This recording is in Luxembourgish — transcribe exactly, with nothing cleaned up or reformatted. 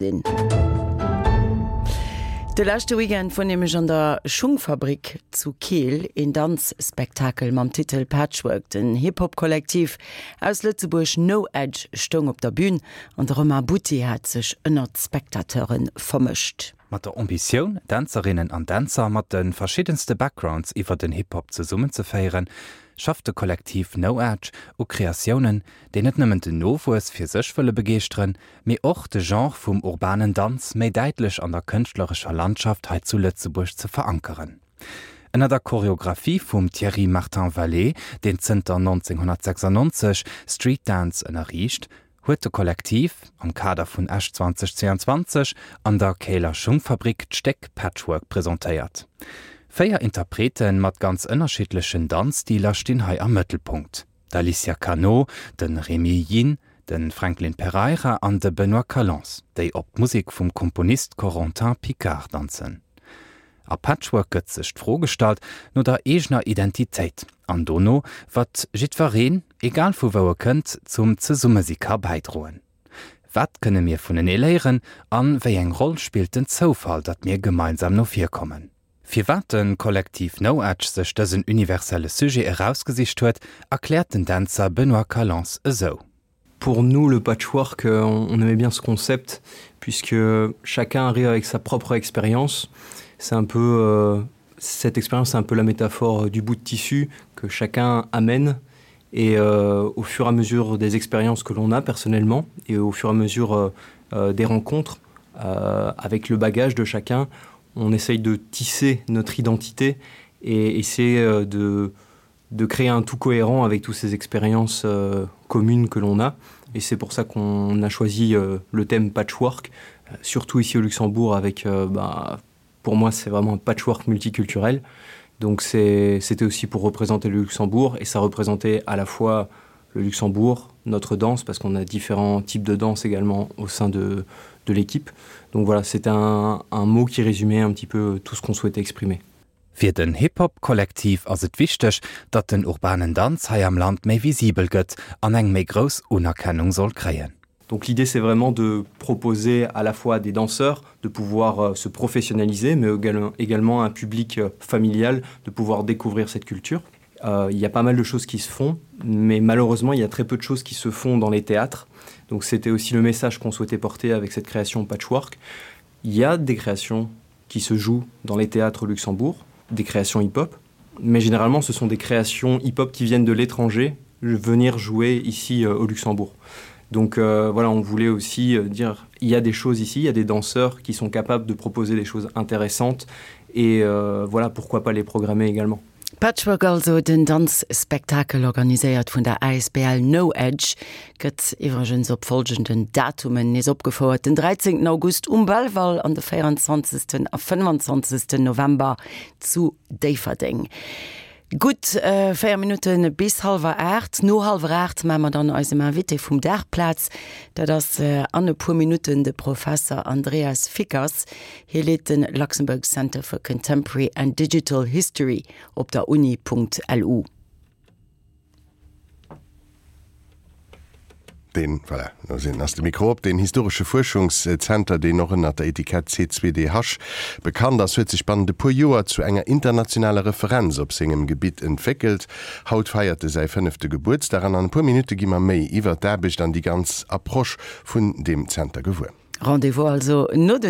Sinn. De leschte Weekend wor nämlech an der Schungfabrik zu Keel een Danzspektakel mam Titel Patchwork. Den Hip-Hop-Kollektiv aus Lëtzebuerg No Edge stoung op der Bün an de Romain Butti hat sech ënnert d'Spectateure vermëscht. Mat der Ambitioun, Dänzerinnen an Dänzer mat de verschiddenste Backgrounds iwwer den Hip-Hop zesummenzeféieren, schafft de Kollektiv No Edge u Kreatiounen, déi net nëmmen den Nowuess fir sech wëlle begeeschteren, mee och de Genre vum urbanen Danz méi däitlech an der kënschtlerescher Landschaft hei zu Lëtzebuerg ze verankeren. Ënner der Choreographie vum Thierry Martin-Vallée, deen zënter nonzénghonnertsechsannonzeg Street Dance ënnerriicht, huet de Kollektiv, am Kader vun Esch zweitausendzweiundzwanzeg an der Käler Schungfabrik d'Stéck Patchwork presentéiert. Véier Interprete mat ganz ënnerschiddlechen Danzstiler stinn hei am Mëttelpunkt, d'Alicia Cano, de Rémy Yin, de Franklin Pereira an de Benoît Callens, déi op d'Musek vum Komponist Corentin Picard danzen. A Patchwork gëtt sech d'Fro gestallt no der eegener Identitéit an dono, wat jiddwereen, egal vu wou e kënnt, zum Zesummesi ka bäidroen. Wat kënne mir vunenee léieren a wéi eng Roll spillt den Zoufall, datt mir gemeinsam no vir kommen? Firwat de Kollektiv No Edge sech dësen universelle Sujet erausgesicht huet, erkläert den Dänzer Benoît Callens esou. Pour nous, le patchwork, on aimait bien ce concept puisque chacun arrive avec sa propre expérience. C'est un peu euh, cette expérience, c'est un peu la métaphore du bout de tissu que chacun amène et euh, au fur et à mesure des expériences que l'on a personnellement et au fur et à mesure euh, euh, des rencontres euh, avec le bagage de chacun, on essaye de tisser notre identité et essayer euh, de, de créer un tout cohérent avec toutes ces expériences euh, communes que l'on a. Et c'est pour ça qu'on a choisi euh, le thème patchwork, euh, surtout ici au Luxembourg avec, euh, bah, pour moi, c'est vraiment un patchwork multiculturel. Donc c'était aussi pour représenter le Luxembourg et ça représentait à la fois le Luxembourg, notre danse, parce qu'on a différents types de danse également au sein de, de l'équipe. Donc voilà, c'était un, un mot qui résumait un petit peu tout ce qu'on souhaitait exprimer. Fir den Hip-Hop-Kollektiv ass et wichteg, datt den urbanen Danz hei am Land méi visibel gëtt an eng méi grouss Unerkennung soll kréien. Donc l'idée c'est vraiment de proposer à la fois des danseurs de pouvoir euh, se professionnaliser mais également un public euh, familial de pouvoir découvrir cette culture. Euh, il y a pas mal de choses qui se font mais malheureusement il y a très peu de choses qui se font dans les théâtres. Donc c'était aussi le message qu'on souhaitait porter avec cette création patchwork. Il y a des créations qui se jouent dans les théâtres au Luxembourg, des créations hip-hop, mais généralement ce sont des créations hip-hop qui viennent de l'étranger venir jouer ici euh, au Luxembourg. Donc euh, voilà, on voulait aussi euh, dire il y a des choses ici, il y a des danseurs qui sont capables de proposer des choses intéressantes et euh, voilà pourquoi pas les programmer également. Patchwork also, den Danzspektakel organiséiert vun der A S B L No Edge, gëtt iwwregens op folgenden Datumen nees opgefouert: den dräizéngten August um Belval an de véierundzwanzegsten a fënnefanzwanzegsten November zu Déifferdeng. Gutt véier Minutte bis hallwer aacht. No hallwer aacht maache mer dann eisem Invité vum Dag Plaz. Dat ass an e puer Minutten de Professer Andreas Fickers. Hie leet de Luxembourg Center for Contemporary and Digital History op der Uni.lu. Deen, voilà, do sinn, ass de Mikro op. Deen historesche Fuerschungszenter, deen och ënner der Etikett C zwei D H bekannt ass, huet sech bannent e puer Joer zu enger internationaler Referenz op sengem Gebitt entwéckelt. Haut feiert e säi fënnefte Gebuertsdag an an e puer Minutte gi mer méi iwwer d'Aarbecht an déi ganz Approche vun deem Zenter gewuer. Rendez-vous also no den.